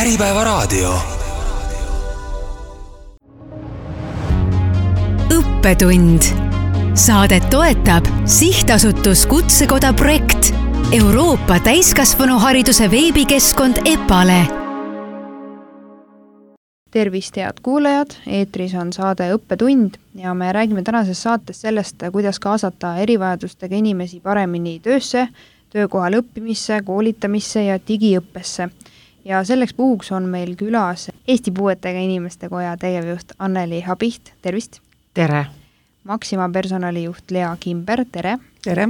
Äripäevaraadio. Õppetund. Saadet toetab Sihtasutus Kutsekoda projekt, Euroopa täiskasvanuhariduse veebikeskkond EPALE. Tervist, head kuulajad, eetris on saade Õppetund ja me räägime tänases saates sellest, kuidas kaasata erivajadustega inimesi paremini töösse, töökohal õppimisse, koolitamisse ja digiõppesse. Ja selleks puhuks on meil külas Eesti Puuetega Inimeste Koja tegevjuht Anneli Habiht, tervist! Tere! Maxima personalijuht Lea Kimber, tere! Tere!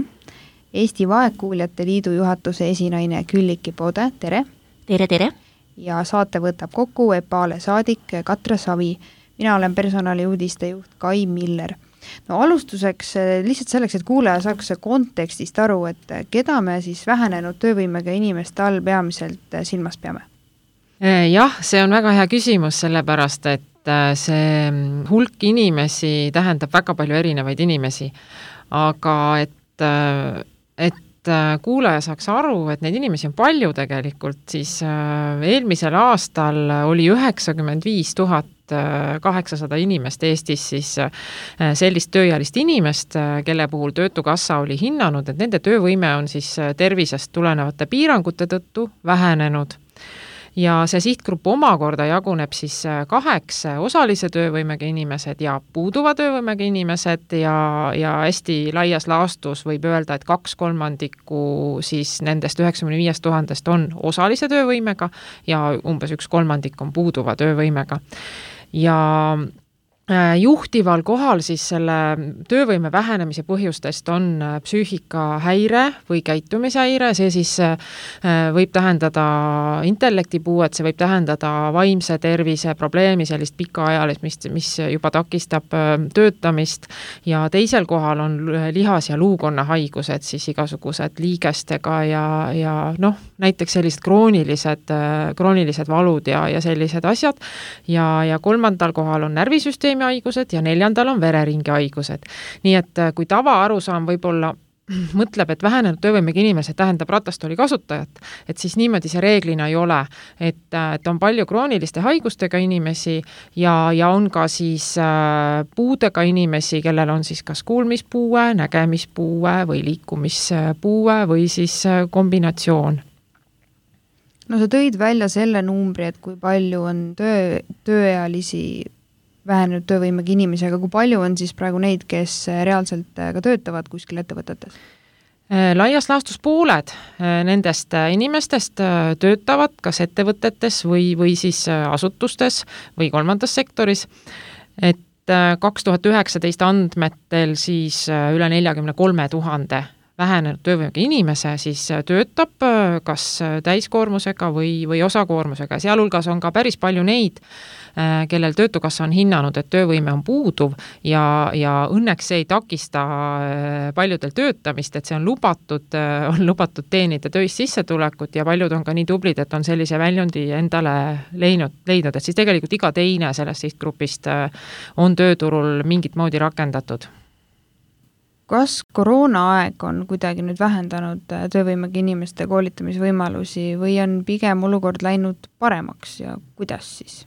Eesti Vaegkuuljate Liidu juhatuse esinaine Külliki Pode, tere! Tere, tere! Ja saate võtab kokku EPALE saadik Katre Savi. Mina olen personaliuudiste juht Kai Miller. No alustuseks lihtsalt selleks, et kuulaja saaks kontekstist aru, et keda me siis vähenenud töövõimega inimeste all peamiselt silmas peame? Jah, see on väga hea küsimus, sellepärast, et see hulk inimesi tähendab väga palju erinevaid inimesi. Aga et kuulaja saaks aru, et neid inimesi on palju tegelikult, siis eelmisel aastal oli 95 800 inimest Eestis siis sellist tööealist inimest, kelle puhul Töötukassa oli hinnanud, et nende töövõime on siis tervisest tulenevate piirangute tõttu vähenenud. Ja see sihtgrupp omakorda jaguneb siis 8 osalise töövõimega inimesed ja puuduva töövõimega inimesed ja hästi laias laastus võib öelda, et 2/3 siis nendest 95 000 on osalise töövõimega ja umbes 1/3 on puuduva töövõimega. Ja juhtival kohal siis selle töövõime vähenemise põhjustest on psüühikahäire või käitumishäire, see siis võib tähendada intellektipuuet, see võib tähendada vaimse tervise probleemi, sellist pikaajalist, mis juba takistab töötamist ja teisel kohal on lihas- ja luukonna haigused, siis igasugused liigestega ja näiteks sellised kroonilised valud ja sellised asjad ja 3. kohal on närvisüsteemi haigused ja 4. on vereringi haigused. Nii et kui tavaarusaam võib-olla mõtleb, et vähenenud töövõimega inimesed tähendab ratastooli kasutajat, et siis niimoodi see reeglina ei ole, et on palju krooniliste haigustega inimesi ja on ka siis puudega inimesi, kellel on siis kas kuulmispuue, nägemispuue või liikumispuue või siis kombinatsioon. No sa tõid välja selle numbri, et kui palju on tööealisi vähenenud töövõimega inimesi, aga kui palju on siis praegu neid, kes reaalselt ka töötavad kuskil ettevõtetes? Laias laastus pooled nendest inimestest töötavad kas ettevõtetes või siis asutustes või 3. sektoris. Et 2019 andmetel siis üle 43 000 vähenenud töövõimega inimese siis töötab kas täiskoormusega või osakoormusega. Sealhulgas on ka päris palju neid, kellel Töötukassa on hinnanud, et töövõime on puuduv ja õnneks see ei takista paljudel töötamist, et see on lubatud teenida töist sissetulekut ja paljud on ka nii tublid, et on sellise väljundi endale leidnud, et siis tegelikult iga teine sellest sihtgrupist on tööturul mingit moodi rakendatud. Kas koroonaaeg on kuidagi nüüd vähendanud töövõimega inimeste koolitamisvõimalusi või on pigem olukord läinud paremaks ja kuidas siis?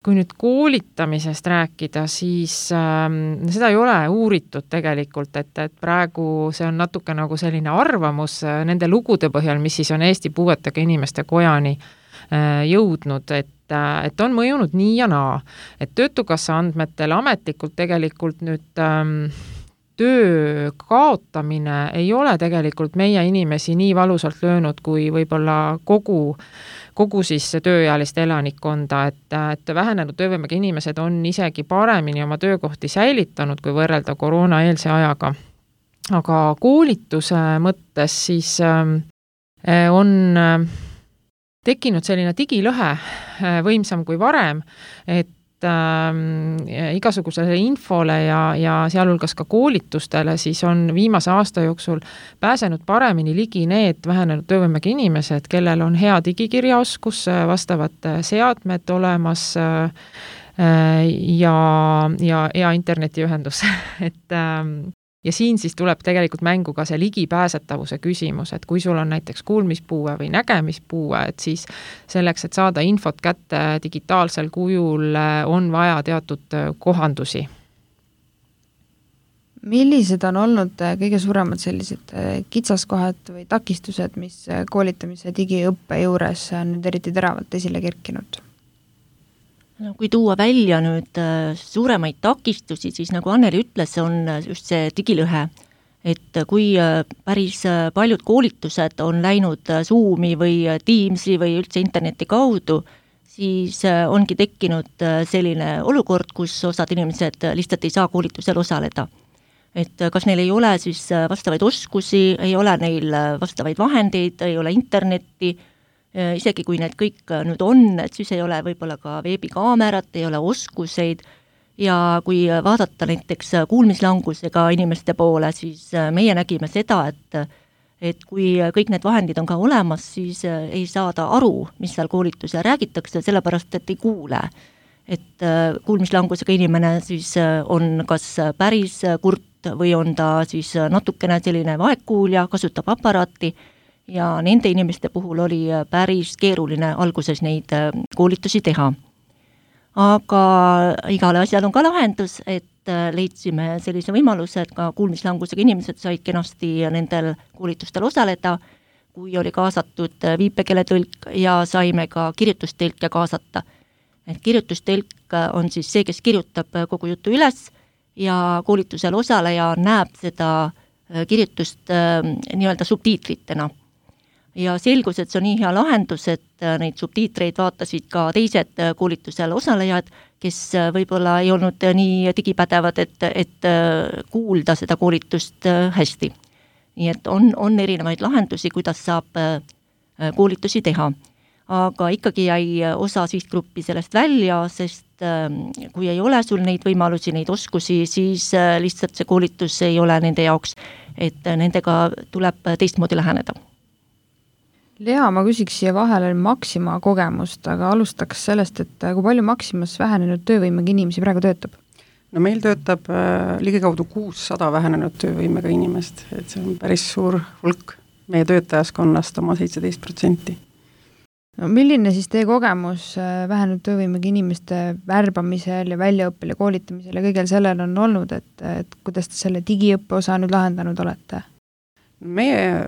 Kui nüüd koolitamisest rääkida, siis seda ei ole uuritud tegelikult, et praegu see on natuke nagu selline arvamus nende lugude põhjal, mis siis on Eesti Puuetega Inimeste Kojani jõudnud, et on mõjunud nii ja naa. Et Töötukassa andmetel ametlikult tegelikult nüüd töö kaotamine ei ole tegelikult meie inimesi nii valusalt löönud kui võib-olla kogu siis tööealist elanikkonda, et vähenenud töövõimega inimesed on isegi paremini oma töökohti säilitanud, kui võrrelda koroonaeelse ajaga. Aga koolituse mõttes siis on tekkinud selline digilõhe võimsam kui varem, et igasugusele infole ja sealhulgas ka koolitustele siis on viimase aasta jooksul pääsenud paremini ligi need vähenenud töövõimega inimesed, kellel on hea digikirjaoskus, vastavad seadmed olemas ja internetiühendus. Et Ja siin siis tuleb tegelikult mängu ka see ligipääsetavuse küsimus, et kui sul on näiteks kuulmispuue või nägemispuue, et siis selleks, et saada infot kätte digitaalsel kujul, on vaja teatud kohandusi. Millised on olnud kõige suuremad sellised kitsaskohad või takistused, mis koolitamise digiõppe juures on nüüd eriti teravalt esile kerkinud? No, kui tuua välja nüüd suuremaid takistusi, siis nagu Anneli ütles, on just see digilõhe, et kui päris paljud koolitused on läinud Zoomi või Teamsi või üldse interneti kaudu, siis ongi tekkinud selline olukord, kus osad inimesed lihtsalt ei saa koolitusel osaleda. Et kas neil ei ole siis vastavaid oskusi, ei ole neil vastavaid vahendeid, ei ole internetti, isegi kui need kõik nüüd on, et siis ei ole võib-olla ka veebikaamerat, ei ole oskuseid ja kui vaadata näiteks kuulmislangusega inimeste poole, siis meie nägime seda, et kui kõik need vahendid on ka olemas, siis ei saada aru, mis seal koolitusel räägitakse, sellepärast et ei kuule. Et kuulmislangusega inimene siis on kas päris kurt või on ta siis natukene selline vaegkuulja, kasutab aparaati ja nende inimeste puhul oli päris keeruline alguses neid koolitusi teha. Aga igale asjal on ka lahendus, et leidsime sellise võimaluse, et ka kuulmislangusega inimesed said kenasti nendel koolitustel osaleda, kui oli kaasatud viipekeeletõlk ja saime ka kirjutustõlke kaasata. Et kirjutustõlk on siis see, kes kirjutab kogu jutu üles ja koolitusel osaleja näeb seda kirjutust nii-öelda subtiitritena. Ja selgus, et see on nii hea lahendus, et neid subtiitreid vaatasid ka teised koolitusel osalejad, kes võib-olla ei olnud nii digipädevad, et kuulda seda koolitust hästi. Nii et on erinevaid lahendusi, kuidas saab koolitusi teha. Aga ikkagi jäi osa sihtgruppi sellest välja, sest kui ei ole sul neid võimalusi, neid oskusi, siis lihtsalt see koolitus ei ole nende jaoks, et nendega tuleb teistmoodi läheneda. Lea, ma küsiks siia vahele Maxima kogemust, aga alustaks sellest, et kui palju Maximas vähenenud töövõimega inimesi praegu töötab? No meil töötab ligikaudu 600 vähenenud töövõimega inimest, et see on päris suur hulk meie töötajaskonnast oma 17%. No, milline siis teie kogemus vähenenud töövõimega inimeste värbamisel ja väljaõppel ja koolitamisel ja kõigel sellel on olnud, et kuidas te selle digiõppe osa nüüd lahendanud olete? Meie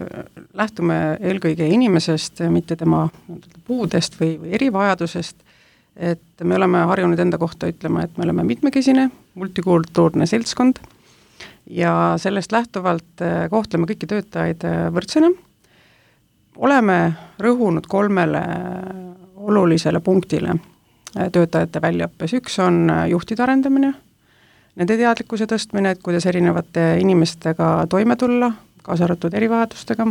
lähtume eelkõige inimesest, mitte tema puudest või erivajadusest, et me oleme harjunud enda kohta ütlema, et me oleme mitmekesine, multikultuurne seltskond ja sellest lähtuvalt kohtleme kõiki töötajaid võrdsena. Oleme rõhunud 3 olulisele punktile töötajate väljaõppes. Üks on juhtide arendamine, nende teadlikkuse tõstmine, et kuidas erinevate inimestega toime tulla, kaasa arvatud erivajadustega.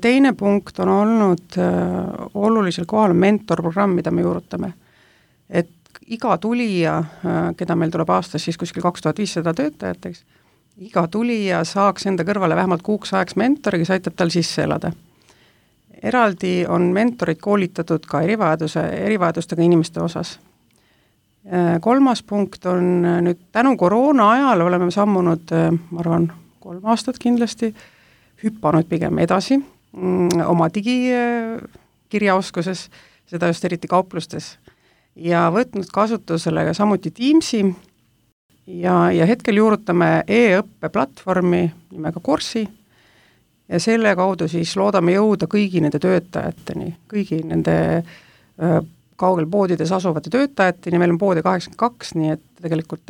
Teine punkt on olnud olulisel kohal mentorprogramm, mida me juurutame. Et iga tulija, keda meil tuleb aastas siis kuskil 2500 töötajateks, iga tulija saaks enda kõrvale vähemalt kuuks ajaks mentori, kes aitab tal sisse elada. Eraldi on mentorid koolitatud ka erivajadustega inimeste osas. 3. punkt on nüüd tänu koroona ajal oleme sammunud, ma arvan, 3 aastat kindlasti, hüppanud pigem edasi oma digikirjaoskuses, seda just eriti kauplustes, ja võtnud kasutusele samuti Teamsi ja hetkel juurutame e-õppe platvormi nimega Course'i ja selle kaudu siis loodame jõuda kõigi nende töötajateni, kõigi nende kaugel poodides asuvate töötajateni, meil on poode 82, nii et tegelikult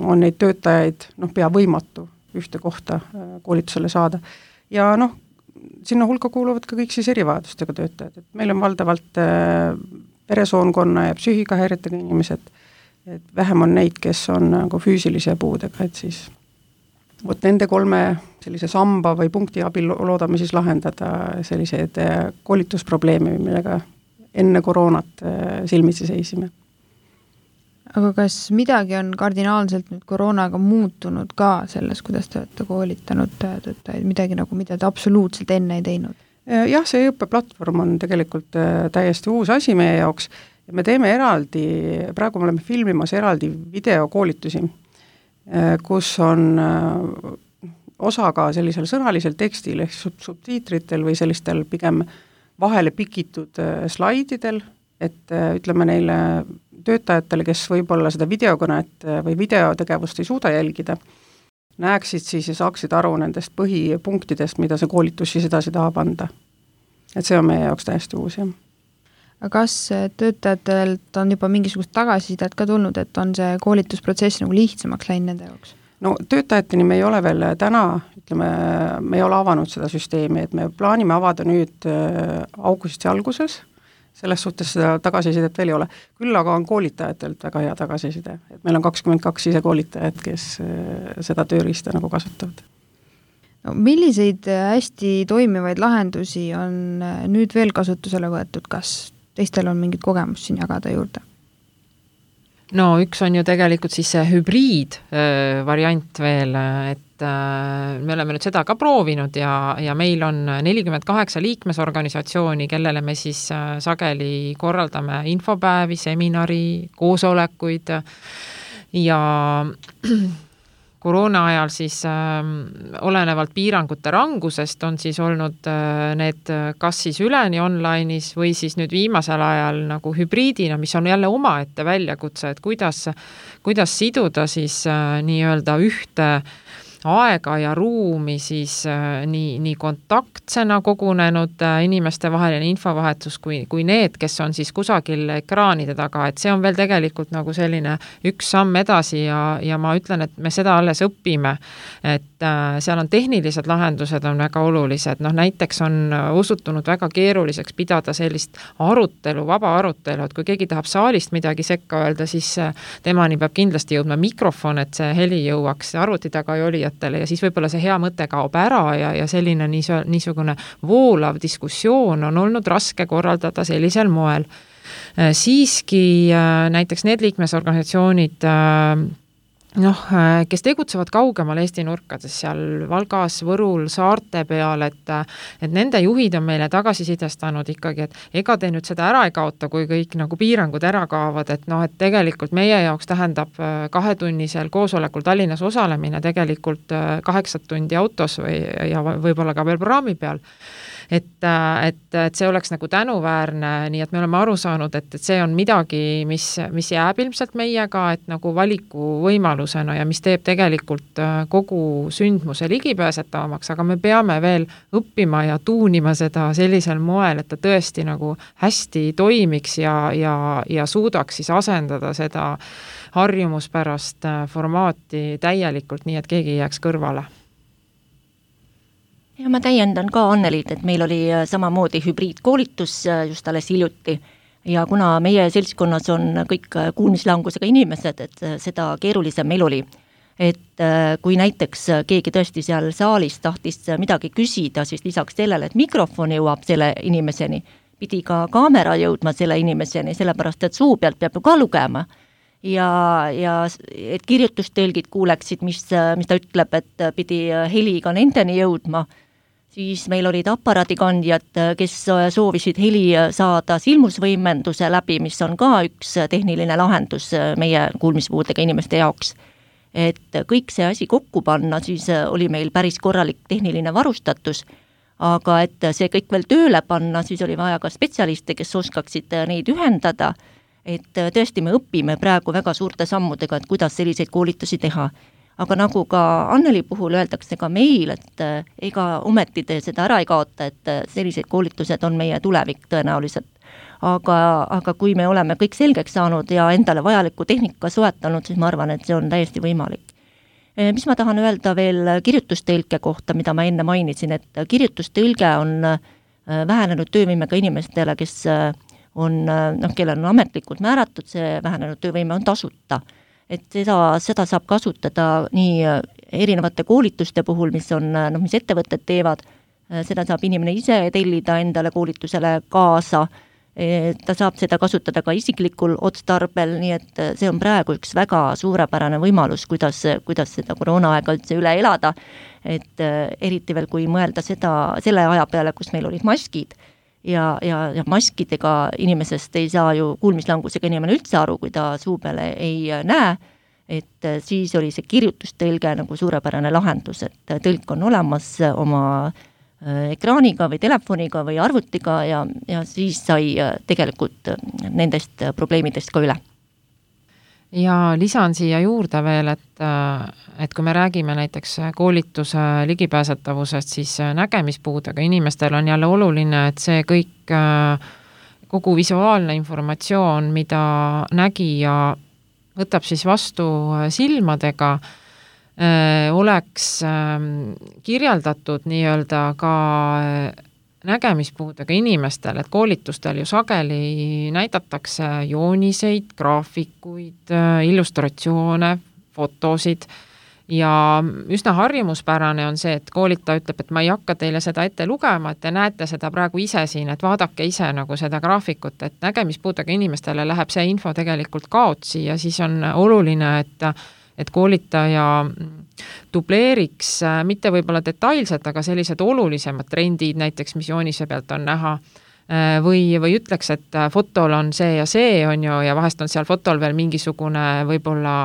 on neid töötajaid pea võimatu ühte kohta koolitusele saada. Ja sinna hulka kuuluvad ka kõik siis erivajadustega töötajad, et meil on valdavalt peresoonkonna ja psüühikahäiretega inimesed, et vähem on neid, kes on nagu füüsilise puudega, et siis nende 3 sellise samba või punkti abil loodame siis lahendada selliseid koolitusprobleeme, millega enne koroonat silmitsi seisime. Aga kas midagi on kardinaalselt nüüd koroonaga muutunud ka selles, kuidas te olete koolitanud töötajaid, midagi nagu, mida te absoluutselt enne ei teinud? Jah, see õppeplatvorm on tegelikult täiesti uus asi meie jaoks ja me teeme eraldi, praegu me oleme filmimas eraldi videokoolitusi. kus on osa ka sellisel sõnalisel tekstil ehk subtiitritel või sellistel pigem vahele pikitud slaididel, et ütleme neile töötajatele, kes võib-olla seda videokõnet või videotegevust ei suuda jälgida, näeksid siis ja saaksid aru nendest põhipunktidest, mida see koolitus siis edasi tahab anda. Et see on meie jaoks täiesti uus, jah. Aga kas töötajatelt on juba mingisugust tagasisidet ka tulnud, et on see koolitusprotsess nagu lihtsamaks läinud nende jaoks? No töötajateni me ei ole veel täna, ütleme, me ei ole avanud seda süsteemi, et me plaanime avada nüüd augusti alguses, selles suhtes seda tagasisidet veel ei ole. Küll aga on koolitajatelt väga hea tagasiside, et meil on 22 isekoolitajat, kes seda tööriista nagu kasutavad. No, milliseid hästi toimivaid lahendusi on nüüd veel kasutusele võetud, kas teistel on mingit kogemust siin jagada juurde? No üks on ju tegelikult siis see hübriid variant veel, et me oleme nüüd seda ka proovinud ja meil on 48 liikmesorganisatsiooni, kellele me siis sageli korraldame infopäevi, seminari, koosolekuid ja koroona ajal siis olenevalt piirangute rangusest on siis olnud need kas siis üleni online'is või siis nüüd viimasel ajal nagu hübriidina, mis on jälle omaette väljakutse, et kuidas siduda siis nii-öelda ühte aega ja ruumi siis nii kontaktsena kogunenud inimeste vaheline infovahetus kui need, kes on siis kusagil ekraanide taga, et see on veel tegelikult nagu selline üks samm edasi ja ma ütlen, et me seda alles õpime, et seal on tehnilised lahendused on väga olulised, näiteks on osutunud väga keeruliseks pidada sellist arutelu, vaba arutelu, et kui keegi tahab saalist midagi sekka öelda, siis temani peab kindlasti jõudma mikrofon, et see heli jõuaks arvuti taga ja ja siis võib-olla see hea mõte kaob ära ja selline niisugune voolav diskussioon on olnud raske korraldada sellisel moel. Siiski näiteks need liikmesorganisatsioonid, kes tegutsevad kaugemal Eesti nurkades, seal Valgas, Võrul, saarte peal, et nende juhid on meile tagasisidestanud ikkagi, et ega te nüüd seda ära ei kaota, kui kõik nagu piirangud ära kaovad, et et tegelikult meie jaoks tähendab 2-tunnisel koosolekul Tallinnas osalemine tegelikult 8 tundi autos ja võib-olla ka veel praami peal. Et see oleks nagu tänuväärne, nii et me oleme aru saanud, et see on midagi, mis jääb ilmselt meiega, et nagu valiku võimalusena ja mis teeb tegelikult kogu sündmuse ligipääsetavamaks, aga me peame veel õppima ja tuunima seda sellisel moel, et ta tõesti nagu hästi toimiks ja suudaks siis asendada seda harjumuspärast formaati täielikult, nii et keegi ei jääks kõrvale. Ja ma täiendan ka Anneliid, et meil oli samamoodi hübriidkoolitus just alles hiljuti ja kuna meie seltskonnas on kõik kuulmislangusega inimesed, et seda keerulisem meil oli. Et kui näiteks keegi tõesti seal saalis tahtis midagi küsida, siis lisaks sellele, et mikrofon jõuab selle inimeseni, pidi ka kaamera jõudma selle inimeseni, sellepärast et suu pealt peab ju ka lugema. Ja et kirjutustõlgid kuuleksid, mis ta ütleb, et pidi heliga nendeni jõudma, siis meil olid aparaadikandjad, kes soovisid heli saada silmusvõimenduse läbi, mis on ka üks tehniline lahendus meie kuulmispuudega inimeste jaoks. Et kõik see asi kokku panna, siis oli meil päris korralik tehniline varustatus, aga et see kõik veel tööle panna, siis oli vaja ka spetsialiste, kes oskaksid neid ühendada, et tõesti me õpime praegu väga suurte sammudega, et kuidas selliseid koolitusi teha. Aga nagu ka Anneli puhul öeldakse ka meil, et ega ometi te seda ära ei kaota, et sellised koolitused on meie tulevik tõenäoliselt. Aga kui me oleme kõik selgeks saanud ja endale vajaliku tehnika soetanud, siis ma arvan, et see on täiesti võimalik. Mis ma tahan öelda veel kirjutustõlke kohta, mida ma enne mainisin, et kirjutustõlge on vähenenud töövõimega inimestele, kes on, kellel on ametlikult määratud, see vähenenud töövõime on tasuta. Et seda saab kasutada nii erinevate koolituste puhul, mis ettevõtted teevad, seda saab inimene ise tellida endale koolitusele kaasa, ta saab seda kasutada ka isiklikul otstarbel, nii et see on praegu üks väga suurepärane võimalus, kuidas seda koroonaaega üldse üle elada, et eriti veel kui mõelda selle aja peale, kus meil olid maskid, ja maskidega inimesest ei saa ju kuulmislangusega inimene üldse aru, kui ta suu peale ei näe, et siis oli see kirjutustõlge nagu suurepärane lahendus, et tõlk on olemas oma ekraaniga või telefoniga või arvutiga ja siis sai tegelikult nendest probleemidest ka üle. Ja lisan siia juurde veel, et kui me räägime näiteks koolituse ligipääsetavusest, siis nägemispuudega inimestel on jälle oluline, et see kõik, kogu visuaalne informatsioon, mida nägija võtab siis vastu silmadega, oleks kirjeldatud nii-öelda ka nägemispuudega inimestel, et koolitustel ju sageli näidatakse jooniseid, graafikuid, illustratsioone, fotosid ja üsna harjumuspärane on see, et koolitaja ütleb, et ma ei hakka teile seda ette lugema, et te näete seda praegu ise siin, et vaadake ise nagu seda graafikut, et nägemispuudega inimestele läheb see info tegelikult kaotsi ja siis on oluline, et koolitaja dubleeriks mitte võib-olla detailselt, aga sellised olulisemad trendid näiteks, mis joonise pealt on näha, või ütleks, et fotol on see ja see on ju, ja vahest on seal fotol veel mingisugune võib-olla,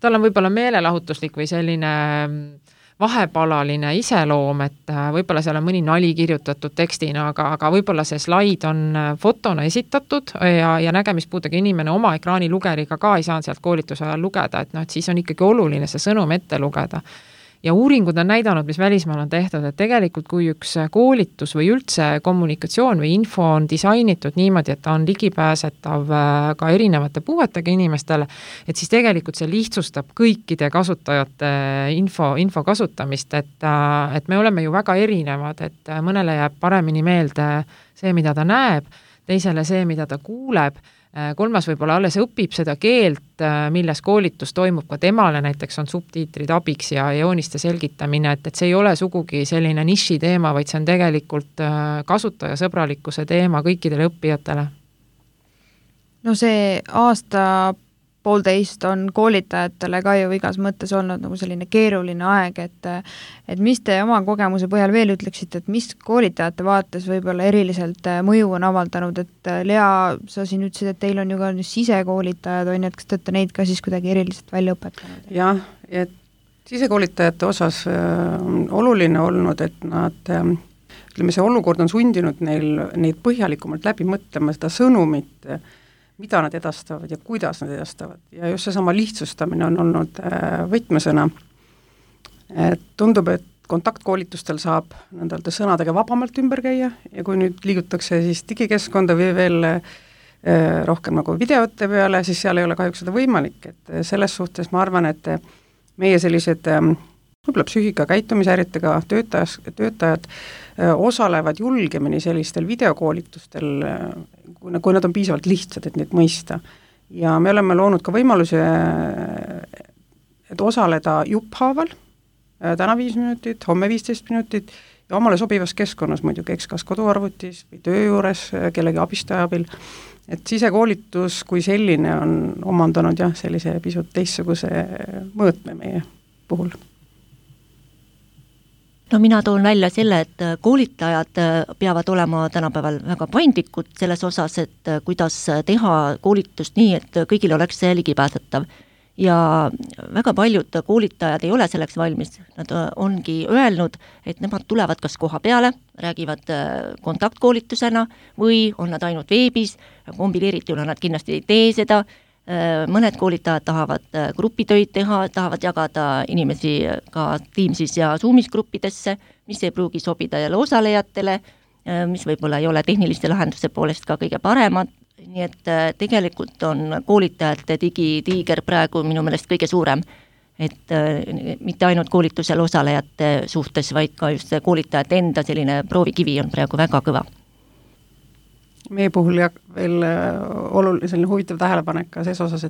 tal on võib-olla meelelahutuslik või selline vahepalaline iseloom, et võib-olla seal on mõni nali kirjutatud tekstina, aga võib-olla see slaid on fotona esitatud ja nägemispuudega inimene oma ekraanilugeriga ka ei saanud sealt koolituse ajal lugeda, et siis on ikkagi oluline see sõnum ette lugeda. Ja uuringud on näidanud, mis välismaal on tehtud, et tegelikult kui üks koolitus või üldse kommunikatsioon või info on disainitud niimoodi, et ta on ligipääsetav ka erinevate puuetega inimestele, et siis tegelikult see lihtsustab kõikide kasutajate info kasutamist, et me oleme ju väga erinevad, et mõnele jääb paremini meelde see, mida ta näeb, teisele see, mida ta kuuleb, kolmas võib-olla alles õpib seda keelt, milles koolitus toimub ka temale, näiteks on subtiitrid abiks ja jooniste selgitamine, et see ei ole sugugi selline niši teema, vaid see on tegelikult kasutajasõbralikkuse teema kõikidele õppijatele. No see aasta-poolteist on koolitajatele ka ju igas mõttes olnud nagu selline keeruline aeg, et mis te oma kogemuse põhjal veel ütleksite, et mis koolitajate vaates võib-olla eriliselt mõju on avaldanud, et Lea, sa siin ütlesid, et teil on ju ka sisekoolitajad, on ju, et kas te olete neid ka siis kuidagi eriliselt välja õpetanud? Jah, et sisekoolitajate osas on oluline olnud, et nad, ütleme, see olukord on sundinud neid põhjalikumalt läbi mõtlema seda sõnumit, mida nad edastavad ja kuidas nad edastavad. Ja just seesama lihtsustamine on olnud võtmesõna. Et tundub, et kontaktkoolitustel saab nendelt sõnadega vabamalt ümber käia ja kui nüüd liigutakse siis digikeskkonda või veel rohkem nagu videote peale, siis seal ei ole kahjuks seda võimalik. Et selles suhtes ma arvan, et meie sellised võib-olla psüühika käitumishäiretega töötajad osalevad julgemini sellistel videokoolitustel, kui nad on piisavalt lihtsad, et neid mõista. Ja me oleme loonud ka võimaluse, et osaleda jupphaaval, täna 5 minutit, homme 15 minutit ja omale sobivas keskkonnas muidugi, kas koduarvutis või töö juures kellegi abistaja abil. Et sisekoolitus kui selline on omandanud jah, sellise pisut teistsuguse mõõtme meie puhul. No mina toon välja selle, et koolitajad peavad olema tänapäeval väga paindlikud selles osas, et kuidas teha koolitust nii, et kõigil oleks see ligipääsetav. Ja väga paljud koolitajad ei ole selleks valmis. Nad ongi öelnud, et nemad tulevad kas koha peale, räägivad kontaktkoolitusena või on nad ainult veebis, kombineerituna nad kindlasti ei tee seda. Mõned koolitajad tahavad grupitöid teha, tahavad jagada inimesi ka Teamsis ja Zoomis gruppidesse, mis ei pruugi sobida jälle osalejatele, mis võib-olla ei ole tehniliste lahenduse poolest ka kõige paremad, nii et tegelikult on koolitajate digitiiger praegu minu meelest kõige suurem, et mitte ainult koolitusel osalejate suhtes, vaid ka just koolitajate enda selline proovikivi on praegu väga kõva. Meie puhul veel oluline huvitav tähelepanek ka ses osas,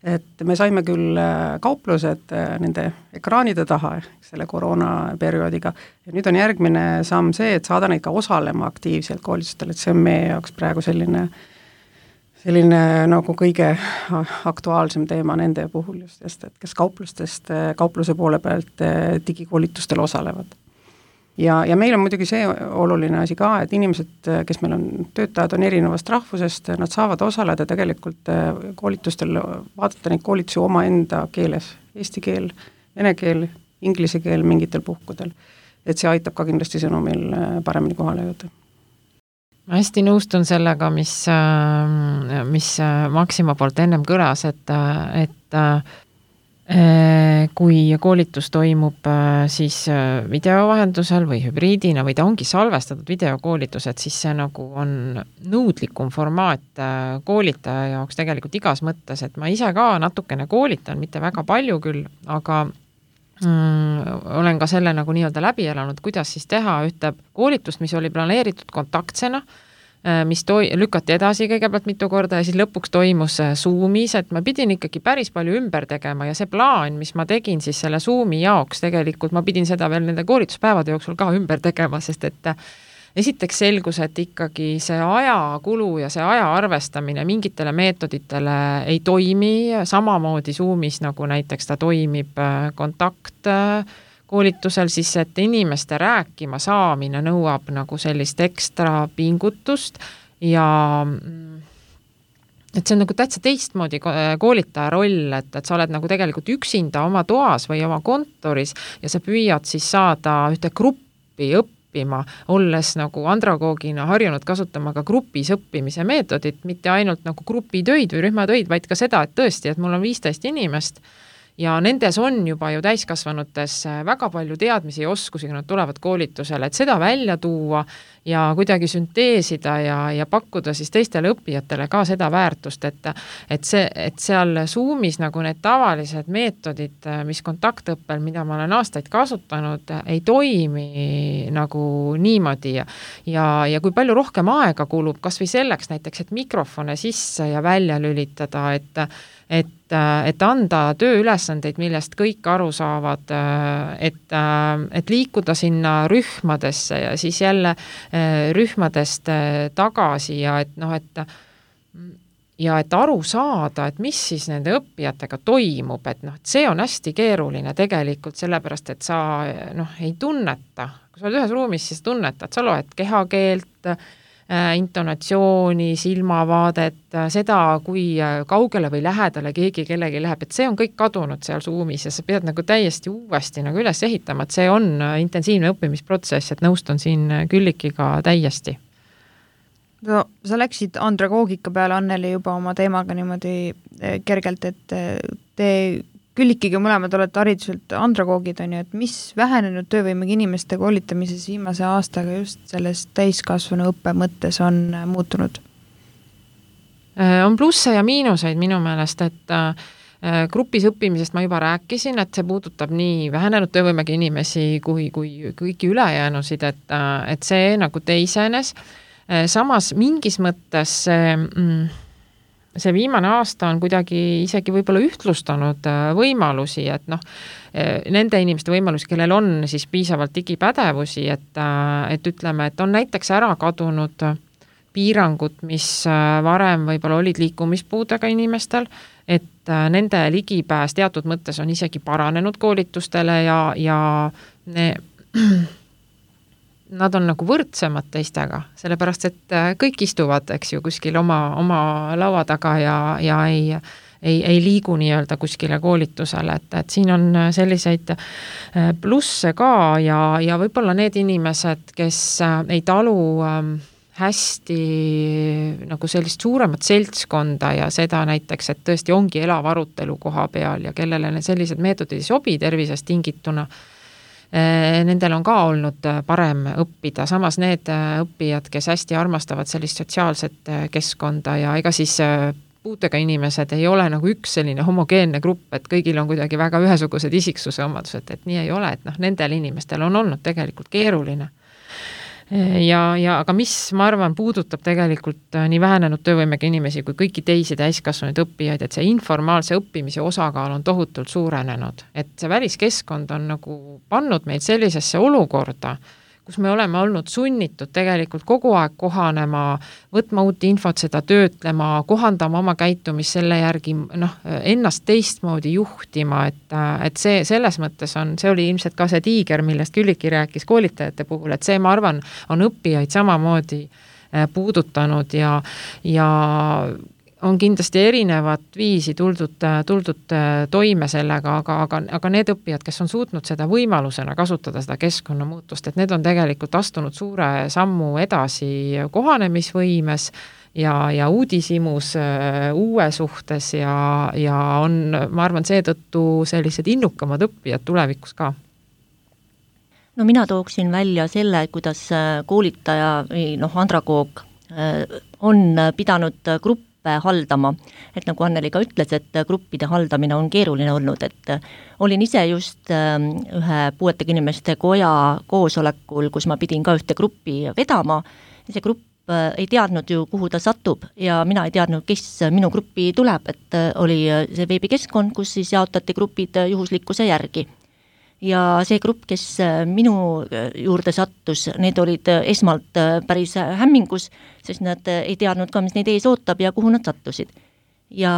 et me saime küll kauplused nende ekraanide taha selle koroonaperioodiga ja nüüd on järgmine samm see, et saada neid ka osalema aktiivselt koolitustel, et see on meie jaoks praegu selline nagu kõige aktuaalsem teema nende puhul just, et kes kaupluse poole pealt digikoolitustel osalevad. ja meil on muidugi see oluline asi ka, et inimesed, kes meil on, töötajad on erinevast rahvusest, nad saavad osaleda tegelikult koolitustel, vaadata neid koolitusi omaenda keeles, eesti keel, vene keel, inglise keel mingitel puhkudel. Et see aitab ka kindlasti sõnumil paremini kohale jõuda. Ma hästi nõustun sellega, mis Maxima poolt ennem kõlas, et kui koolitus toimub siis video vahendusel või hübriidina või ta ongi salvestatud videokoolitused, siis see nagu on nõudlikum formaat koolitaja jaoks tegelikult igas mõttes, et ma ise ka natukene koolitan, mitte väga palju küll, aga olen ka selle nagu nii-öelda läbi elanud, kuidas siis teha ühte koolitust, mis oli planeeritud kontaktsena, mis lükati edasi kõigepealt mitu korda ja siis lõpuks toimus Zoomis, et ma pidin ikkagi päris palju ümber tegema ja see plaan, mis ma tegin siis selle Zoomi jaoks, tegelikult ma pidin seda veel nende koolituspäevade jooksul ka ümber tegema, sest et esiteks selgus, et ikkagi see ajakulu ja see aja arvestamine mingitele meetoditele ei toimi, samamoodi Zoomis, nagu näiteks ta toimib kontaktkoolitusel, siis et inimeste rääkima saamine nõuab nagu sellist ekstra pingutust ja et see on nagu täitsa teistmoodi koolitaja roll, et sa oled nagu tegelikult üksinda oma toas või oma kontoris ja sa püüad siis saada ühte gruppi olles nagu andragoogina harjunud kasutama ka grupis õppimise meetodit, mitte ainult nagu grupitöid või rühmatöid, vaid ka seda, et tõesti, et mul on 15 inimest ja nendes on juba ju täiskasvanutes väga palju teadmisi ja oskusi, kui nad tulevad koolitusele, et seda välja tuua ja kuidagi sünteesida ja pakkuda siis teistele õppijatele ka seda väärtust, et seal Zoomis nagu need tavalised meetodid, mis kontaktõppel, mida ma olen aastaid kasutanud, ei toimi nagu niimoodi ja kui palju rohkem aega kulub, kas või selleks näiteks, et mikrofone sisse ja välja lülitada, et anda tööülesandeid, millest kõik aru saavad, et liikuda sinna rühmadesse ja siis jälle rühmadest tagasi ja et aru saada, et mis siis nende õppijatega toimub, et see on hästi keeruline tegelikult sellepärast, et sa ei tunneta, kui sa oled ühes ruumis, siis tunnetad, sa loed kehakeelt, intonatsiooni, silmavaadet, seda, kui kaugele või lähedale keegi kellegi läheb, et see on kõik kadunud seal Zoomis ja sa pead nagu täiesti uuesti nagu üles ehitama, et see on intensiivne õppimisprotsess, et nõustun siin Küllikiga täiesti. No, sa läksid andragoogika peale, Anneli, juba oma teemaga niimoodi kergelt, et te Küllikiga mõlemad olete hariduselt andragoogid, on ju, et mis vähenenud töövõimega inimeste koolitamises viimase aastaga just selles täiskasvanu õppe mõttes on muutunud? On plusse ja miinuseid minu meelest, et grupis õppimisest ma juba rääkisin, et see puudutab nii vähenenud töövõimega inimesi kui kõiki ülejäänusid, et see nagu teisenes. Samas mingis mõttes see viimane aasta on kuidagi isegi võib-olla ühtlustanud võimalusi, et nende inimeste võimalusi, kellel on siis piisavalt digipädevusi, et ütleme, et on näiteks ära kadunud piirangud, mis varem võib-olla olid liikumispuudega inimestel, et nende ligipääs teatud mõttes on isegi paranenud koolitustele ja nad on nagu võrdsemad teistega, sellepärast, et kõik istuvad, eks ju, kuskil oma laua taga ja ei liigu nii-öelda kuskile koolitusele, et siin on selliseid plusse ka ja võib-olla need inimesed, kes ei talu hästi nagu sellist suuremat seltskonda ja seda näiteks, et tõesti ongi elav arutelu koha peal ja kellele sellised meetodid ei sobi tervisest tingituna, nendel on ka olnud parem õppida, samas need õppijad, kes hästi armastavad sellist sotsiaalset keskkonda ja ega siis puudega inimesed ei ole nagu üks selline homogeenne grupp, et kõigil on kuidagi väga ühesugused isiksuse omadused, et nii ei ole, et nendel inimestel on olnud tegelikult keeruline. Aga mis, ma arvan, puudutab tegelikult nii vähenenud töövõimega inimesi kui kõiki teisi täiskasvanud õppijaid, et see informaalse õppimise osakaal on tohutult suurenenud. Et see väliskeskkond on nagu pannud meid sellisesse olukorda, kus me oleme olnud sunnitud tegelikult kogu aeg kohanema, võtma uut infot, seda töötlema, kohandama oma käitumist selle järgi, ennast teistmoodi juhtima, et see selles mõttes see oli ilmselt ka see tiiger, millest Külliki rääkis koolitajate puhul, et see, ma arvan, on õppijaid samamoodi puudutanud ja on kindlasti erinevat viisi tuldud toime sellega, aga need õppijad, kes on suutnud seda võimalusena kasutada, seda keskkonnamuutust, et need on tegelikult astunud suure sammu edasi kohanemisvõimes ja uudishimus uue suhtes ja on, ma arvan, seetõttu sellised innukamad õppijad tulevikus ka. No mina tooksin välja selle, kuidas koolitaja või andragoog on pidanud gruppe haldama, et nagu Anneli ka ütles, et gruppide haldamine on keeruline olnud, et olin ise just ühe puuetega inimeste koja koosolekul, kus ma pidin ka ühte gruppi vedama, see grupp ei teadnud ju, kuhu ta satub ja mina ei teadnud, kes minu gruppi tuleb, et oli see veebikeskkond, kus siis jaotati grupid juhuslikkuse järgi. Ja see grupp, kes minu juurde sattus, need olid esmalt päris hämmingus, sest nad ei teadnud ka, mis neid ees ootab ja kuhu nad sattusid. Ja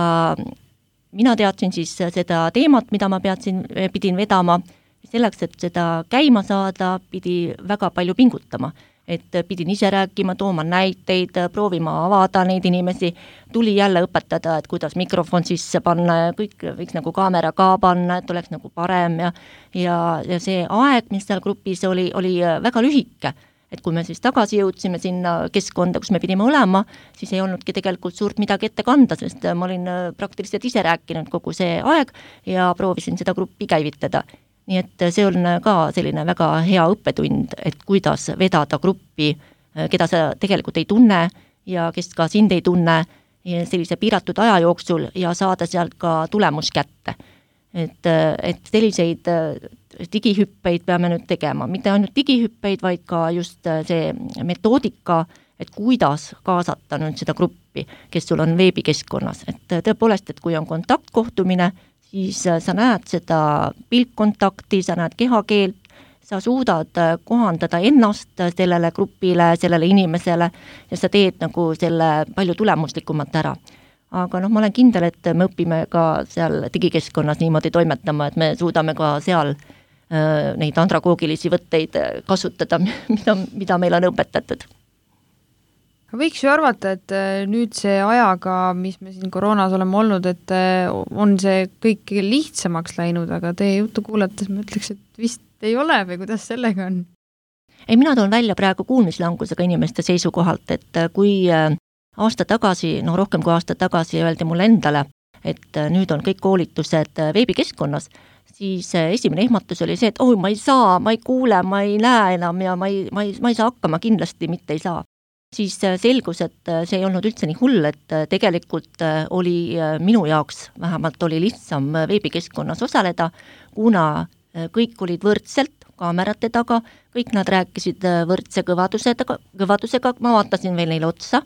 mina teadsin siis seda teemat, mida ma pidin vedama, selleks, et seda käima saada, pidi väga palju pingutama. Et pidin ise rääkima, tooma näiteid, proovima avada neid inimesi, tuli jälle õpetada, et kuidas mikrofon sisse panna ja kõik võiks nagu kaamera ka panna, et oleks nagu parem ja see aeg, mis seal grupis oli väga lühike. Et kui me siis tagasi jõudsime sinna keskkonda, kus me pidime olema, siis ei olnudki tegelikult suurt midagi ette kanda, sest ma olin praktiliselt ise rääkinud kogu see aeg ja proovisin seda gruppi käivitada. Nii et see on ka selline väga hea õppetund, et kuidas vedada gruppi, keda sa tegelikult ei tunne ja kes ka sind ei tunne sellise piiratud aja jooksul ja saada sealt ka tulemus kätte. Et selliseid digihüppeid peame nüüd tegema, mitte ainult digihüppeid, vaid ka just see metoodika, et kuidas kaasata nüüd seda gruppi, kes sul on veebikeskkonnas. Et tõepoolest, et kui on kontaktkohtumine, siis sa näed seda pilkkontakti, sa näed kehakeelt, sa suudad kohandada ennast sellele grupile, sellele inimesele ja sa teed nagu selle palju tulemuslikumalt ära. Aga ma olen kindel, et me õpime ka seal digikeskkonnas niimoodi toimetama, et me suudame ka seal neid andragoogilisi võtteid kasutada, mida meil on õpetatud. Võiks ju arvata, et nüüd see ajaga, mis me siin koroonas oleme olnud, et on see kõik lihtsamaks läinud, aga teie juttu kuulates ma ütleks, et vist ei ole või kuidas sellega on? Ei, mina toon välja praegu kuulmislangusega inimeste seisukohalt, et kui aasta tagasi, rohkem kui aasta tagasi öeldi mulle endale, et nüüd on kõik koolitused veebikeskkonnas, siis esimene ehmatus oli see, et ma ei saa, ma ei kuule, ma ei näe enam ja ma ei saa hakkama, kindlasti mitte ei saa. Siis selgus, et see ei olnud üldse nii hull, et tegelikult oli minu jaoks, vähemalt oli lihtsam veebikeskkonnas osaleda, kuna kõik olid võrdselt kaamerate taga, kõik nad rääkisid võrdse kõvadusega, ma vaatasin veel neile otsa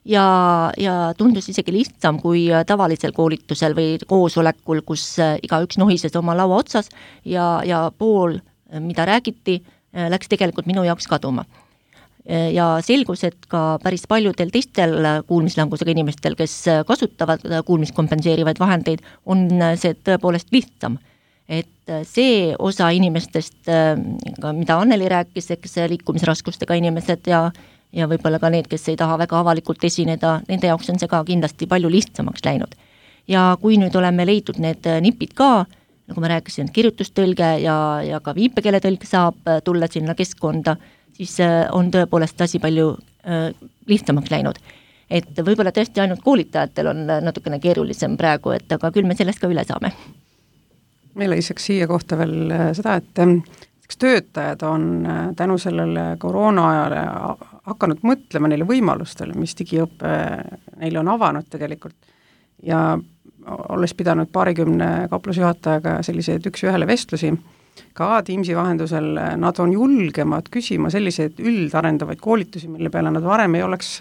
ja tundus isegi lihtsam kui tavalisel koolitusel või koosolekul, kus igaüks nohises oma laua otsas ja pool, mida räägiti, läks tegelikult minu jaoks kaduma. Ja selgus, et ka päris paljudel teistel kuulmislangusega inimestel, kes kasutavad kuulmiskompenseerivaid vahendeid, on see tõepoolest lihtsam. Et see osa inimestest, mida Anneli rääkis, eks liikumisraskustega inimesed ja võib-olla ka need, kes ei taha väga avalikult esineda, nende jaoks on see ka kindlasti palju lihtsamaks läinud. Ja kui nüüd oleme leidnud need nipid ka, nagu ma rääkisin, kirjutustõlge ja ka viipekeeletõlg saab tulla sinna keskkonda, siis on tõepoolest asi palju lihtsamaks läinud. Et võib-olla tõesti ainult koolitajatel on natukene keerulisem praegu, et aga küll me sellest ka üle saame. Meil lisaks siia kohta veel seda, et töötajad on tänu sellele koroona ajale hakanud mõtlema neile võimalustele, mis digiõppe neile on avanud tegelikult. Ja olles pidanud 20 kauplusjuhatajaga selliseid üks-ühele vestlusi, ka Teamsi vahendusel nad on julgemad küsima selliseid üldarendavaid koolitusi, mille peale nad varem ei oleks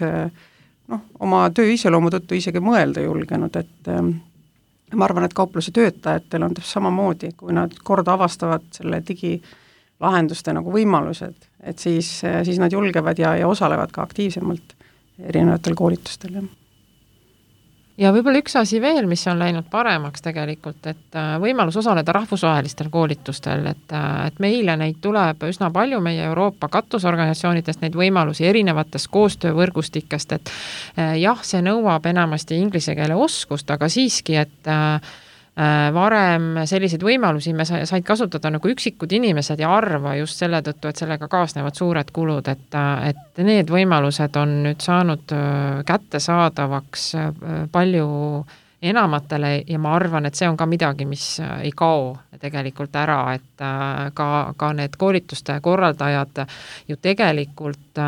oma töö iseloomu tõttu isegi mõelda julgenud, et ma arvan, et kaupluse töötajatel on samamoodi, kui nad kord avastavad selle lahenduste nagu võimalused, et siis nad julgevad ja osalevad ka aktiivsemalt erinevatel koolitustel. Ja võib-olla üks asi veel, mis on läinud paremaks tegelikult, et võimalus osaleda rahvusvahelistel koolitustel, et meile neid tuleb üsna palju meie Euroopa katusorganisatsioonidest, neid võimalusi erinevatest koostöövõrgustikest, et jah, see nõuab enamasti inglise keele oskust, aga siiski, et varem selliseid võimalusi me said kasutada nagu üksikud inimesed ja arva just selle tõttu, et sellega kaasnevad suured kulud, et need võimalused on nüüd saanud kättesaadavaks palju enamatele ja ma arvan, et see on ka midagi, mis ei kao tegelikult ära, et ka need koolituste korraldajad ju tegelikult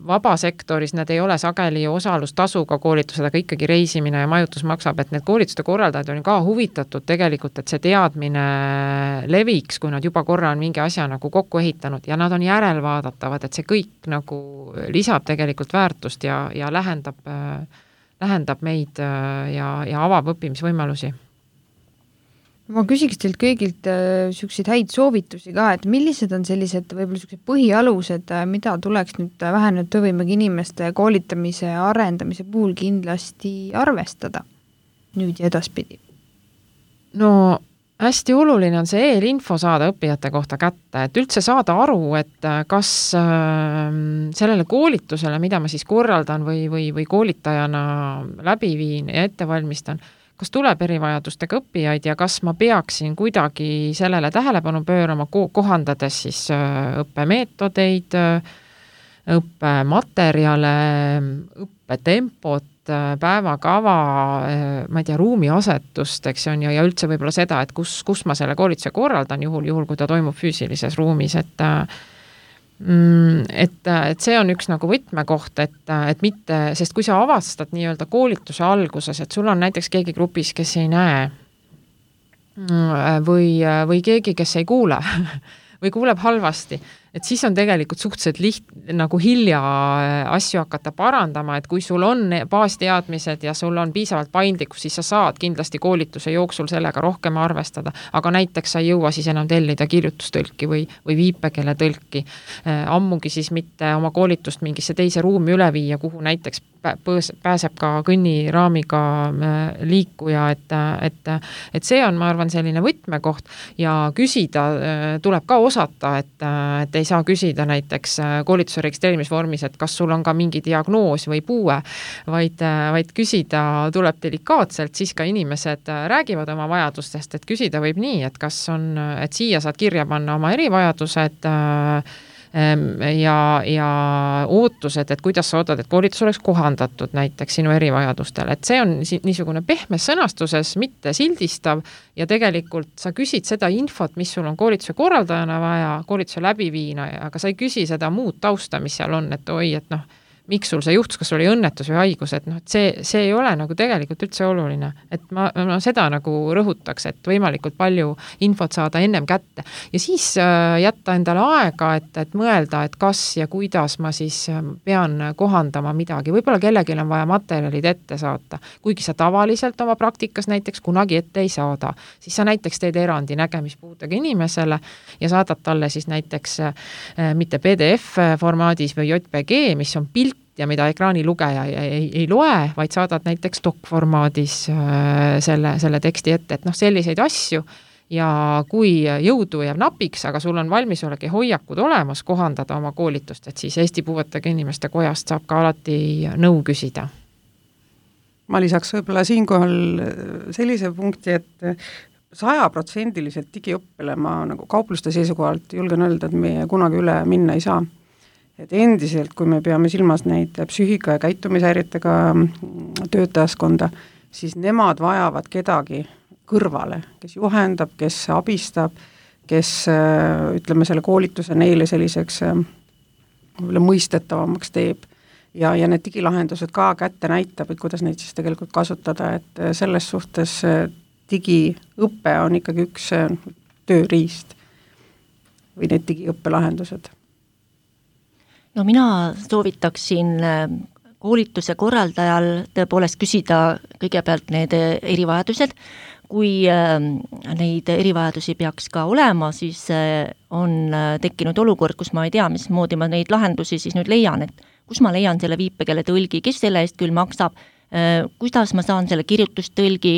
vabasektoris need ei ole sageli osalustasuga koolitused, aga ikkagi reisimine ja majutus maksab, et need koolituste korraldajad on ka huvitatud tegelikult, et see teadmine leviks, kui nad juba korra on mingi asja nagu kokku ehitanud ja nad on järelvaadatavad, et see kõik nagu lisab tegelikult väärtust ja lähendab meid ja avab õppimisvõimalusi. Ma küsiks teilt kõigilt selliseid häid soovitusi ka, et millised on sellised võib-olla sellised põhialused, mida tuleks nüüd vähenenud töövõimega inimeste koolitamise ja arendamise puhul kindlasti arvestada nüüd ja edaspidi? No hästi oluline on see eelinfo saada õppijate kohta kätte, et üldse saada aru, et kas sellele koolitusele, mida ma siis korraldan või koolitajana läbi viin ja ette valmistan, kas tuleb erivajadustega õppijaid ja kas ma peaksin kuidagi sellele tähelepanu pöörama, kohandades siis õppemeetodeid, õppematerjale, õppetempot, päevakava, ma ei tea, ruumiasetust, eks on, ja üldse võib-olla seda, et kus ma selle koolituse korraldan juhul, kui ta toimub füüsilises ruumis, et see on üks nagu võtmekoht, et mitte, sest kui sa avastad nii-öelda koolituse alguses, et sul on näiteks keegi grupis, kes ei näe või keegi, kes ei kuule või kuuleb halvasti, et siis on tegelikult suhteliselt nagu hilja asju hakata parandama, et kui sul on baasteadmised ja sul on piisavalt paindlikkus, siis sa saad kindlasti koolituse jooksul sellega rohkem arvestada, aga näiteks sa ei jõua siis enam tellida kirjutustõlki või viipekeeletõlki, ammugi siis mitte oma koolitust mingisse teise ruumi üle viia, kuhu näiteks pääseb ka kõnniraamiga liikuja, et see on, ma arvan, selline võtmekoht ja küsida tuleb ka osata, et ei saa küsida näiteks koolituse registreerimisvormis, et kas sul on ka mingi diagnoos või puue, vaid küsida tuleb delikaatselt, siis ka inimesed räägivad oma vajadustest, et küsida võib nii, et kas on, et siia saad kirja panna oma erivajadused ja ootused, et kuidas sa ootad, et koolitus oleks kohandatud näiteks sinu erivajadustele, et see on niisugune pehmes sõnastuses, mitte sildistav ja tegelikult sa küsid seda infot, mis sul on koolituse korraldajana vaja, koolituse läbiviina, aga sa ei küsi seda muud tausta, mis seal on, et oi, et miks sul see juhtus, kas sul oli õnnetus või haigus, et see ei ole nagu tegelikult üldse oluline, et ma seda nagu rõhutaks, et võimalikult palju infot saada ennem kätte ja siis jätta endale aega, et mõelda, et kas ja kuidas ma siis pean kohandama midagi, võib-olla kellelgi on vaja materjalid ette saata, kuigi sa tavaliselt oma praktikas näiteks kunagi ette ei saada, siis sa näiteks teed erandi nägemispuudega inimesele ja saadad talle siis näiteks mitte PDF formaadis või JPG, mis on pilt ja mida ekraanilugeja ei loe, vaid saadad näiteks doc-formaadis selle teksti ette, et selliseid asju ja kui jõudu jääb napiks, aga sul on valmisolek ja hoiakud olemas kohandada oma koolitust, et siis Eesti Puuetega Inimeste Kojast saab ka alati nõu küsida. Ma lisaks võib-olla siinkohal sellise punkti, et 100% digiõppele ma nagu kaupluste seisukohalt julgen öelda, et meie kunagi üle minna ei saa. Et endiselt, kui me peame silmas neid psüühika- ja käitumishäiretega töötajaskonda, siis nemad vajavad kedagi kõrvale, kes juhendab, kes abistab, kes ütleme selle koolituse neile selliseks mõistetavamaks teeb ja need digilahendused ka kätte näitab, et kuidas neid siis tegelikult kasutada, et selles suhtes digiõpe on ikkagi üks tööriist või need digiõppelahendused. No mina soovitaksin koolituse korraldajal tõepoolest küsida kõigepealt need erivajadused, kui neid erivajadusi peaks ka olema, siis on tekkinud olukord, kus ma ei tea, mismoodi ma neid lahendusi siis nüüd leian, et kus ma leian selle viipekeele tõlgi, kes selle eest küll maksab, kuidas ma saan selle kirjutustõlgi,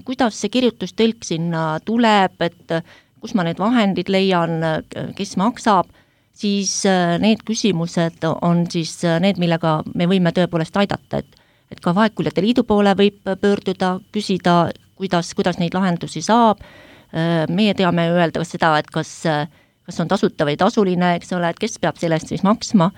kuidas see kirjutustõlk sinna tuleb, et kus ma need vahendid leian, kes maksab, siis need küsimused on siis need, millega me võime tõepoolest aidata, et ka Vaegkuuljate Liidu poole võib pöörduda, küsida, kuidas neid lahendusi saab. Meie teame öelda seda, et kas on tasuta või tasuline, eks ole, et kes peab sellest siis maksma.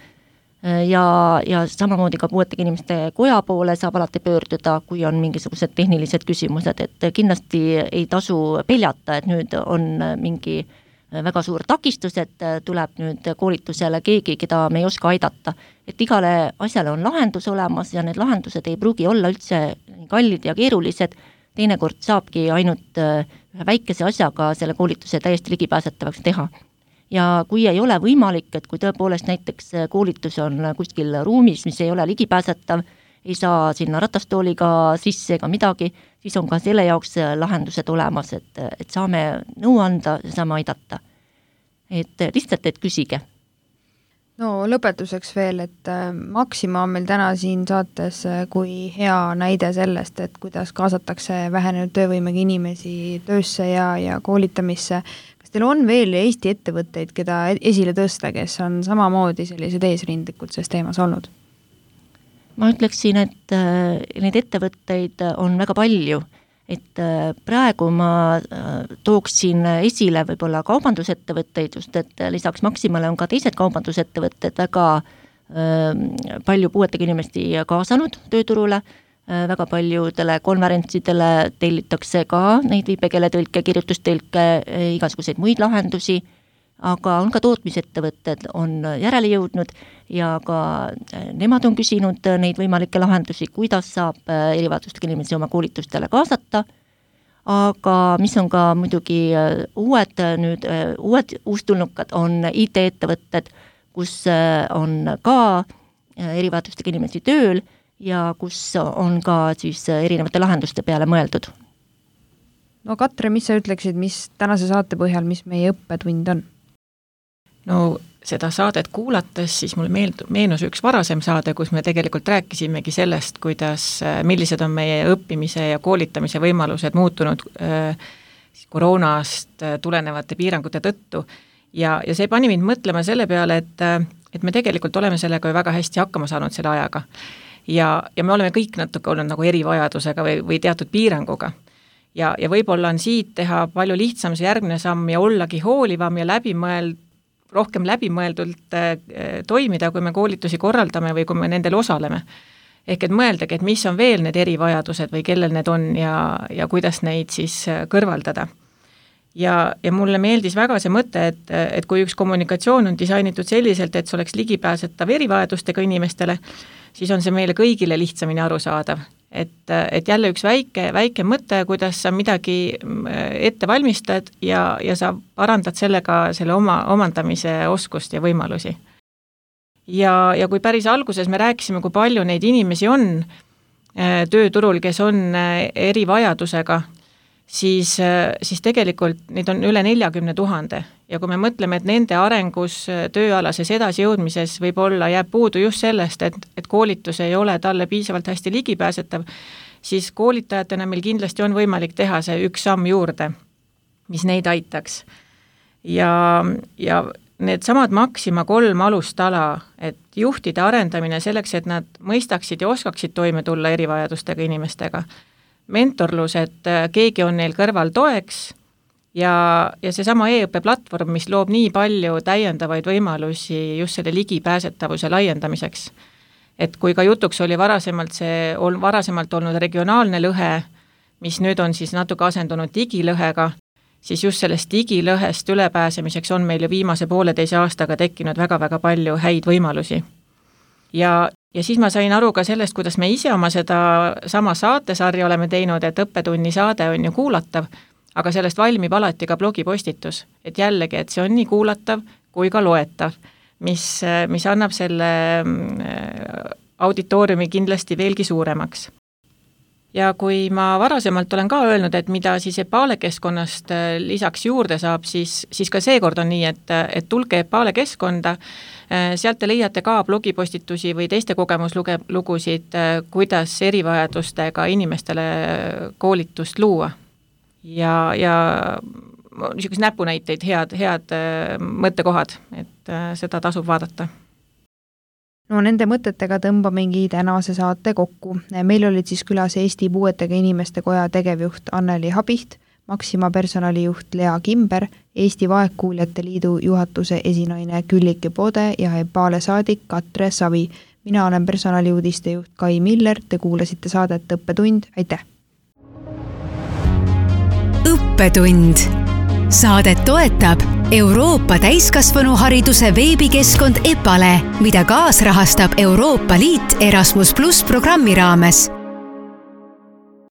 Ja samamoodi ka puuetega inimeste koja poole saab alati pöörduda, kui on mingisugused tehnilised küsimused, et kindlasti ei tasu peljata, et nüüd on mingi väga suur takistus, et tuleb nüüd koolitusele keegi, keda me ei oska aidata. Et igale asjale on lahendus olemas ja need lahendused ei pruugi olla üldse kallid ja keerulised, teinekord saabki ainult ühe väikese asjaga selle koolituse täiesti ligipääsetavaks teha. Ja kui ei ole võimalik, et kui tõepoolest näiteks koolitus on kuskil ruumis, mis ei ole ligipääsetav, ei saa sinna ratastooliga sisse ega midagi, siis on ka selle jaoks lahendused olemas, et saame nõu anda ja saame aidata. Et lihtsalt, et küsige. No lõpetuseks veel, et Maxima on meil täna siin saates kui hea näide sellest, et kuidas kaasatakse vähenenud töövõimega inimesi töösse ja koolitamisse. Kas teil on veel Eesti ettevõtteid, keda esile tõsta, kes on samamoodi sellised eesrindlikud selles teemas olnud? Ma ütleksin, et neid ettevõtteid on väga palju, et praegu ma tooksin esile võib-olla kaubandusettevõtteid, just et lisaks Maximale on ka teised kaubandusettevõtted väga palju puuetega inimesi kaasanud tööturule, väga paljudele konverentsidele tellitakse ka neid viipekeeletõlke, kirjutustõlke, igasuguseid muid lahendusi, aga on ka tootmisettevõtted on järele jõudnud ja ka nemad on küsinud neid võimalikke lahendusi, kuidas saab erivajadustega inimesi oma koolitustele kaasata, aga mis on ka muidugi uued uustulnukad on IT-ettevõtted, kus on ka erivajadustega inimesi tööl ja kus on ka siis erinevate lahenduste peale mõeldud. No Katre, mis sa ütleksid, mis tänase saate põhjal, mis meie õppetund on? No seda saadet kuulates siis mul meenus üks varasem saade, kus me tegelikult rääkisimegi sellest, millised on meie õppimise ja koolitamise võimalused muutunud koroonast tulenevate piirangute tõttu. Ja see pani mind mõtlema selle peale, et me tegelikult oleme sellega väga hästi hakkama saanud selle ajaga. Ja me oleme kõik natuke olnud nagu erivajadusega või teatud piiranguga. Ja võib-olla on siit teha palju lihtsam see järgmine samm ja ollagi hoolivam ja rohkem läbimõeldult toimida, kui me koolitusi korraldame või kui me nendel osaleme. Ehk et mõeldagi, et mis on veel need erivajadused või kellel need on ja kuidas neid siis kõrvaldada. Ja mulle meeldis väga see mõte, et kui üks kommunikatsioon on disainitud selliselt, et see oleks ligipääsetav erivajadustega inimestele, siis on see meile kõigile lihtsamini arusaadav. Et jälle üks väike mõte, kuidas sa midagi ette valmistad ja sa parandad sellega selle oma omandamise oskust ja võimalusi. Ja kui päris alguses me rääkisime, kui palju neid inimesi on tööturul, kes on erivajadusega, siis tegelikult neid on üle 40 000 ja kui me mõtleme, et nende arengus tööalases edasijõudmises võib-olla jääb puudu just sellest, et koolitus ei ole talle piisavalt hästi ligipääsetav, siis koolitajatena meil kindlasti on võimalik teha see üks samm juurde, mis neid aitaks. Ja need samad Maxima 3 alustala, et juhtide arendamine selleks, et nad mõistaksid ja oskaksid toime tulla erivajadustega inimestega, mentorlus, et keegi on neil kõrval toeks ja seesama e-õppe platvorm, mis loob nii palju täiendavaid võimalusi just selle ligipääsetavuse laiendamiseks. Et kui ka jutuks oli varasemalt olnud regionaalne lõhe, mis nüüd on siis natuke asendunud digilõhega, siis just sellest digilõhest ülepääsemiseks on meil ju viimase 1,5 aastaga tekkinud väga-väga palju häid võimalusi. Ja siis ma sain aru ka sellest, kuidas me ise oma seda sama saatesarja oleme teinud, et õppetunni saade on ju kuulatav, aga sellest valmib alati ka blogipostitus, et jällegi, et see on nii kuulatav kui ka loetav, mis annab selle auditooriumi kindlasti veelgi suuremaks. ja kui ma varasemalt olen ka öelnud, et mida siis EPALE keskkonnast lisaks juurde saab, siis ka seekord on nii, et tulge EPALE keskkonda, sealt te leiate ka blogipostitusi või teiste kogemuslugusid, kuidas erivajadustega inimestele koolitust luua. Ja niisugused näpunäiteid, head mõttekohad, et seda tasub vaadata. No nende mõtetega tõmbamegi tänase saate kokku. Meil olid siis külas Eesti Puuetega Inimeste Koja tegevjuht Anneli Habiht, Maxima personalijuht Lea Kimber, Eesti Vaegkuuljate Liidu juhatuse esinaine Külliki Pode ja EPALE saadik Katre Savi. Mina olen personaliuudiste juht Kai Miller, te kuulasite saadet Õppetund, aitäh! Õppetund. Saadet toetab Euroopa täiskasvanuhariduse veebikeskkond EPALE, mida kaasrahastab Euroopa Liit Erasmus+ programmi raames.